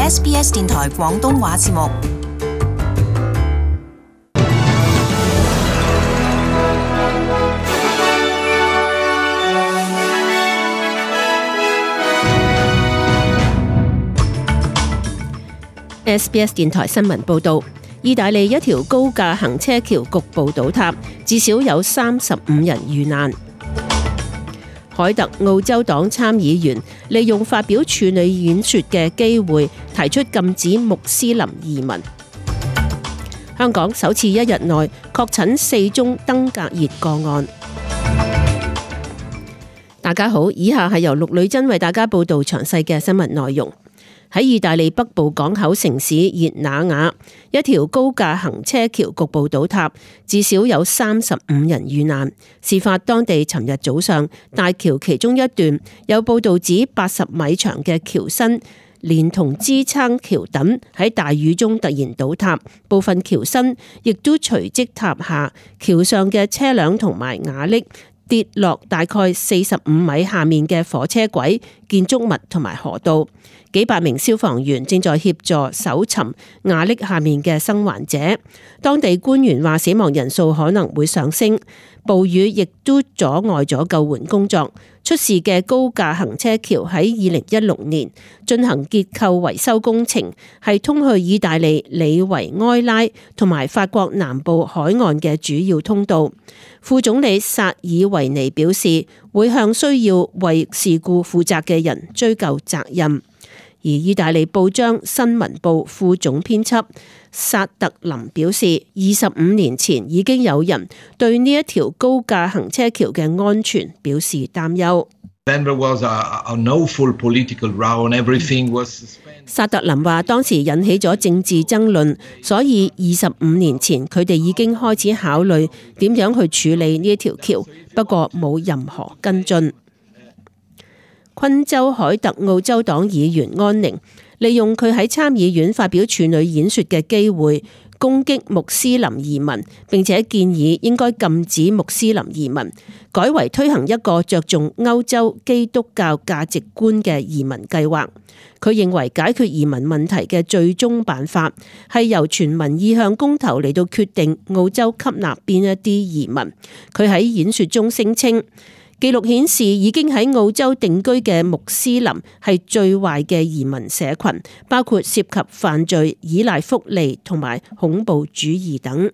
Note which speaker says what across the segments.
Speaker 1: SBS 電台廣東話節目。
Speaker 2: SBS 電台新聞報導，意大利一條高架行車橋局部倒塌，至少有35人遇難。凱特澳洲黨參議員利用發表處女演說嘅機會，提出禁止穆斯林移民。香港首次一日內確診4宗登革熱個案。大家好，以下係由陸女真為大家報導詳細嘅新聞內容。喺意大利北部港口城市熱那亞，一條高架行車橋局部倒塌，至少有35人遇難。事發當地尋日早上，大橋其中一段有報道指80米長嘅橋身連同支撐橋墩喺大雨中突然倒塌，部分橋身亦都隨即塌下，橋上嘅車輛同埋瓦礫跌落大概45米下面嘅火車軌、建築物同埋河道。幾百名消防員正在協助搜尋瓦礫下面嘅生還者。當地官員話死亡人數可能會上升，暴雨亦都阻礙咗救援工作。出事嘅高架行車橋喺2016年進行結構維修工程，係通去意大利里維埃拉同埋法國南部海岸嘅主要通道。副總理薩爾維尼表示，會向需要為事故負責嘅人追究責任。而意大利報章新聞報副總編輯薩特林表示，25年前已經有人對呢一條高架行車橋嘅安全表示擔憂。薩特林話，當時引起咗政治爭論，所以25年前佢哋已經開始考慮點樣去處理呢一條橋，不過冇任何跟進。昆州凱特澳洲黨議員安寧利用佢喺參議院發表處女演說嘅機會，攻擊穆斯林移民，並且建議應該禁止穆斯林移民，改為推行一個着重歐洲基督教價值觀嘅移民計劃。佢認為解決移民問題嘅最終辦法係由全民意向公投嚟到決定澳洲吸納邊一啲移民。佢喺演說中聲稱，記錄顯示已經喺澳洲定居嘅穆斯林係最壞嘅移民社群，包括涉及犯罪、依賴福利同埋恐怖主義等。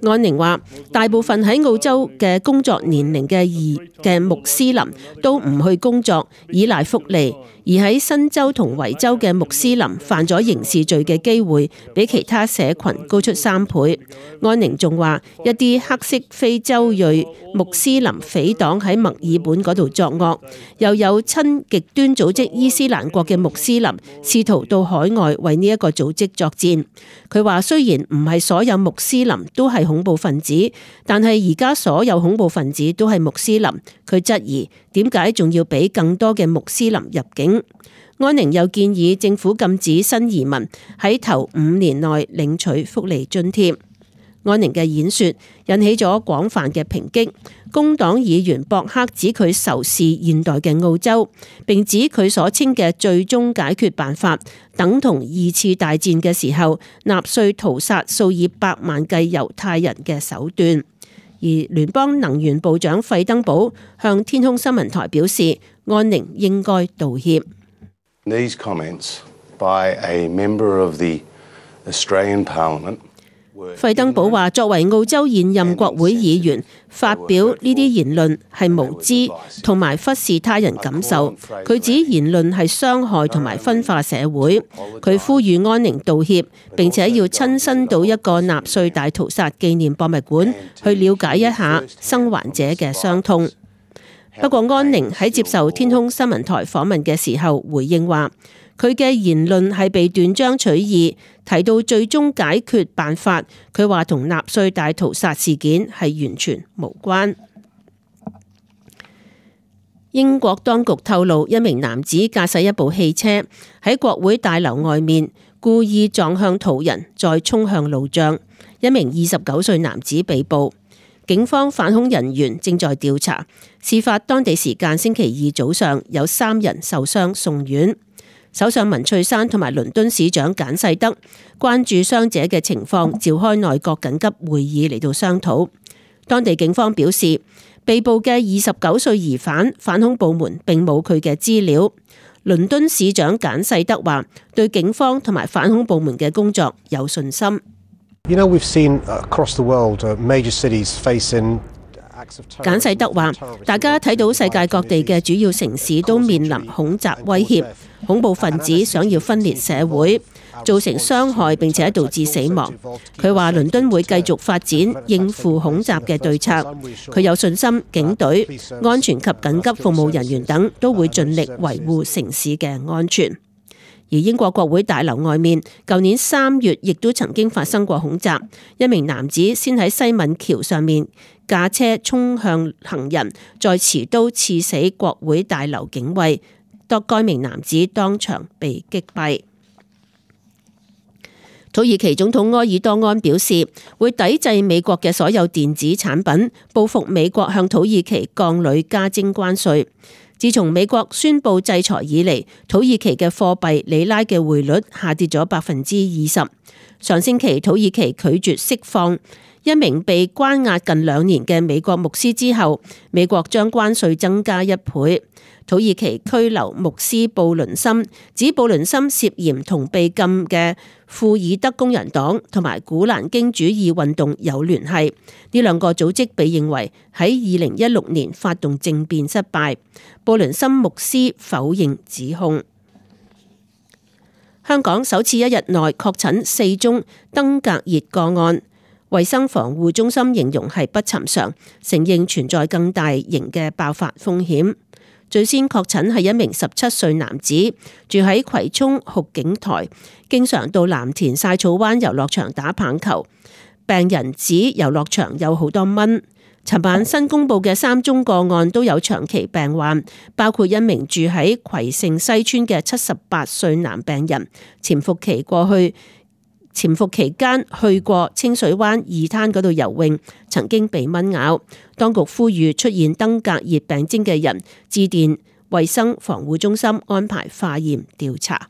Speaker 2: 安寧話，大部分喺澳洲嘅工作年齡嘅穆斯林都唔去工作，依賴福利，而喺新州同維州嘅穆斯林犯咗刑事罪嘅機會比其他社群高出3倍。安寧仲話，一啲黑色非洲裔穆斯林匪黨喺墨爾本嗰度作惡，又有親極端組織伊斯蘭國嘅穆斯林試圖到海外為呢一個組織作戰。佢話，雖然唔係所有穆斯林都係恐怖分子，但係而家所有恐怖分子都係穆斯林。佢質疑點解仲要俾更多嘅穆斯林入境。安寧又建議政府禁止新移民喺頭5年內領取福利津貼。安寧嘅演說引起咗廣泛嘅抨擊。工黨議員博克指佢仇視現代嘅澳洲，並指佢所稱嘅最終解決辦法等同2次大戰嘅時候納粹屠殺數以百萬計猶太人嘅手段。而聯邦能源部長費登堡向天空新聞台表示，安寧應該道歉。
Speaker 3: These comments by a member of the Australian Parliament。
Speaker 2: 費登堡話，作為澳洲現任國會議員，發表呢啲言論係無知同埋忽視他人感受。佢指言論係傷害同埋分化社會。佢呼籲安寧道歉，並且要親身到一個納粹大屠殺紀念博物館去了解一下生還者嘅傷痛。不過安寧喺接受天空新聞台訪問嘅時候回應話，佢嘅言論係被斷章取義，提到最終解決辦法，佢話同納粹大屠殺事件係完全無關。英國當局透露，一名男子駕駛一部汽車喺國會大樓外面故意撞向途人，再衝向路障。一名29歲男子被捕。警方反恐人員正在調查。事發當地時間星期二早上，有3人受傷送院。首相文翠珊同埋倫敦市長簡世德關注傷者嘅情況，召開內閣緊急會議嚟到商討。當地警方表示，被捕嘅29歲疑犯，反恐部門並冇佢嘅資料。倫敦市長簡世德話，對警方同埋反恐部門嘅工作有信心。
Speaker 4: We've seen across the world major cities facing。
Speaker 2: 簡世德話，大家睇到世界各地嘅主要城市都面臨恐襲威脅，恐怖分子想要分裂社會，造成傷害並且導致死亡。佢話倫敦會繼續發展應付恐襲嘅對策，佢有信心警隊、安全及緊急服務人員等都會盡力維護城市嘅安全。而英國國會大樓外面，舊年3月亦都曾經發生過恐襲，一名男子先喺西敏橋上面駕車衝向行人，再持刀刺死國會大樓警衛，該名男子當場被擊斃。土耳其總統埃爾多安表示，會抵制美國嘅所有電子產品，報復美國向土耳其鋼鋁加徵關稅。自從美國宣布制裁以嚟，土耳其嘅貨幣里拉嘅匯率下跌咗20%。上星期土耳其拒絕釋放一名被關押近2年嘅美國牧師之後，美國將關稅增加1倍。土耳其拘留牧師布倫森，指布倫森涉嫌同被禁嘅庫爾德工人黨同埋古蘭經主義運動有聯繫。呢2個組織被認為喺2016年發動政變失敗。布倫森牧師否認指控。香港首次1日內確診4宗登革熱個案，衛生防護中心形容係不尋常，承認存在更大型嘅爆發風險。最先確診係一名17歲男子，住喺葵涌酷景台，經常到藍田曬草灣遊樂場打棒球。病人指遊樂場有好多蚊。尋晚新公布嘅3宗個案都有長期病患，包括一名住喺葵盛西村嘅78歲男病人，潛伏期間去過清水灣2灘嗰度游泳，曾經被蚊咬。當局呼籲出現登革熱病徵嘅人致電衛生防護中心安排化驗調查。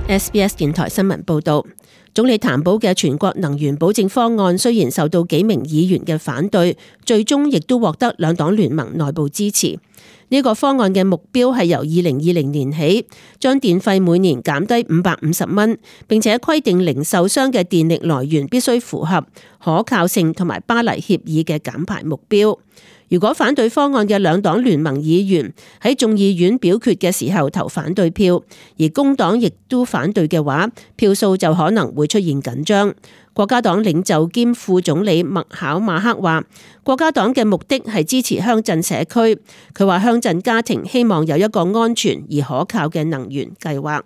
Speaker 2: SBS 電台新聞報道，總理譚寶嘅全國能源保證方案雖然受到幾名議員嘅反對，最終亦都獲得兩黨聯盟內部支持。呢個方案嘅目標係由2020年起，將電費每年減低550蚊，並且規定零售商嘅電力來源必須符合可靠性同埋巴黎協議嘅減排目標。如果反對方案嘅兩黨聯盟議員喺眾議院表決嘅時候投反對票，而工黨亦都反對嘅話，票數就可能會出現緊張。國家黨領袖兼副總理麥考馬克話，國家黨嘅目的係支持鄉鎮社區。佢話鄉鎮家庭希望有一個安全而可靠嘅能源計劃。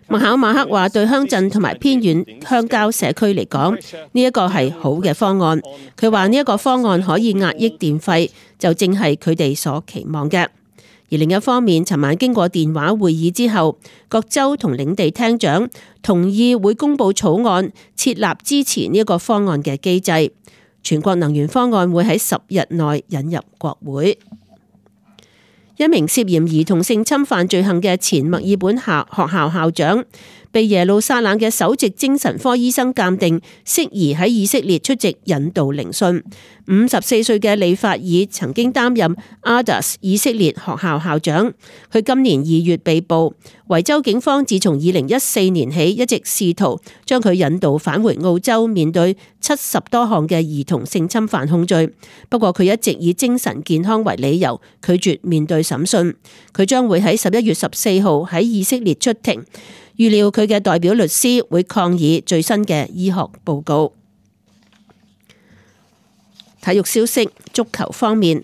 Speaker 2: 麥考馬克話，對鄉鎮同埋偏遠鄉郊社區嚟講，呢一個係好嘅方案。佢話呢一個方案可以壓抑電費，就正係佢哋所期望嘅。而另一方面，尋晚經過電話會議之後，各州同領地廳長同意會公布草案，設立支持呢一個方案嘅機制。全國能源方案會喺10日內引入國會。一名涉嫌兒童性侵犯罪行嘅前墨爾本學校校長，被耶路撒冷嘅首席精神科醫生鑑定適宜喺以色列出席引導聆訊。54歲嘅利法爾曾經擔任 Adas 以色列學校校長，佢今年2月被捕。維州警方自從2014年起一直試圖將佢引導返回澳洲，面對70多項嘅兒童性侵犯控罪。不過佢一直以精神健康為理由拒絕面對審訊。佢將會喺11月14號喺以色列出庭。預料佢嘅代表律師會抗議最新嘅醫學報告。體育消息，足球方面，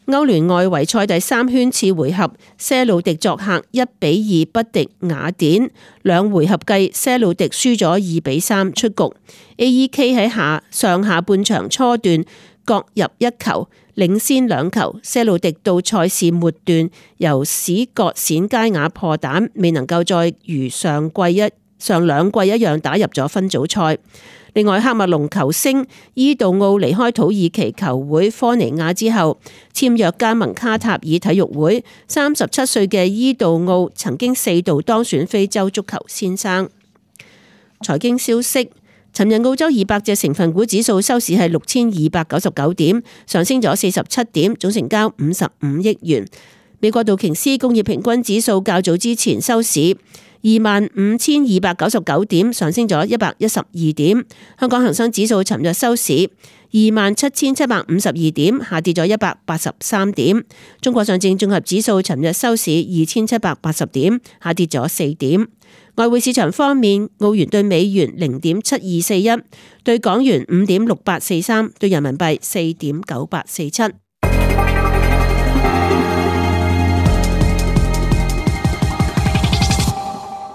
Speaker 2: 歐聯外圍賽第3圈次回合，些路迪作客1-2不敵雅典，2回合計些路迪輸咗2-3出局。AEK 喺上下半場初段各入一球，領先2球。些路迪到賽事末段由史葛冼佳雅破蛋，未能夠再如上兩季一樣打入咗分組賽。另外，喀麥隆球星伊杜奧離開土耳其球會科尼亞之後，簽約加盟卡塔爾體育會。37歲嘅伊杜奧曾經4度當選非洲足球先生。財經消息，尋日澳洲200隻成分股指數收市係6299點，上升咗47點，總成交55億元。美國道瓊斯工業平均指數較早之前收市25,299點，上升咗112點。香港恒生指數尋日收市27,752點，下跌咗183點。中國上證綜合指數尋日收市2,780點，下跌咗4點。外匯市場方面，澳元兌美元0.7241，兌港元5.6843，兌人民幣4.9847。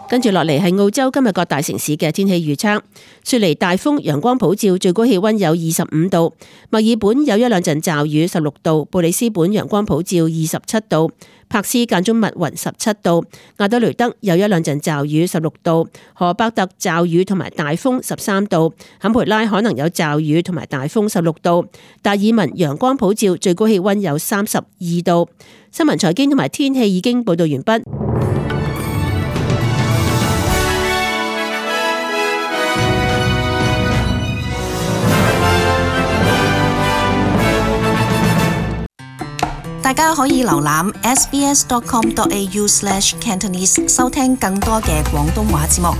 Speaker 2: 跟住落嚟係澳洲今日各大城市嘅天氣預測。雪梨大風，陽光普照，最高氣溫有25度；墨爾本有一兩陣驟雨，16度；布里斯本陽光普照，27度；柏斯間中密雲，17度；亞德雷德有一兩陣驟雨，16度；荷伯特驟雨同埋大風，13度；坎培拉可能有驟雨同埋大風，16度；達爾文陽光普照，最高氣溫有32度。新聞財經同埋天氣已經報道完畢。
Speaker 1: 大家可以瀏覽 sbs.com.au/cantonese 收聽更多嘅廣東話節目。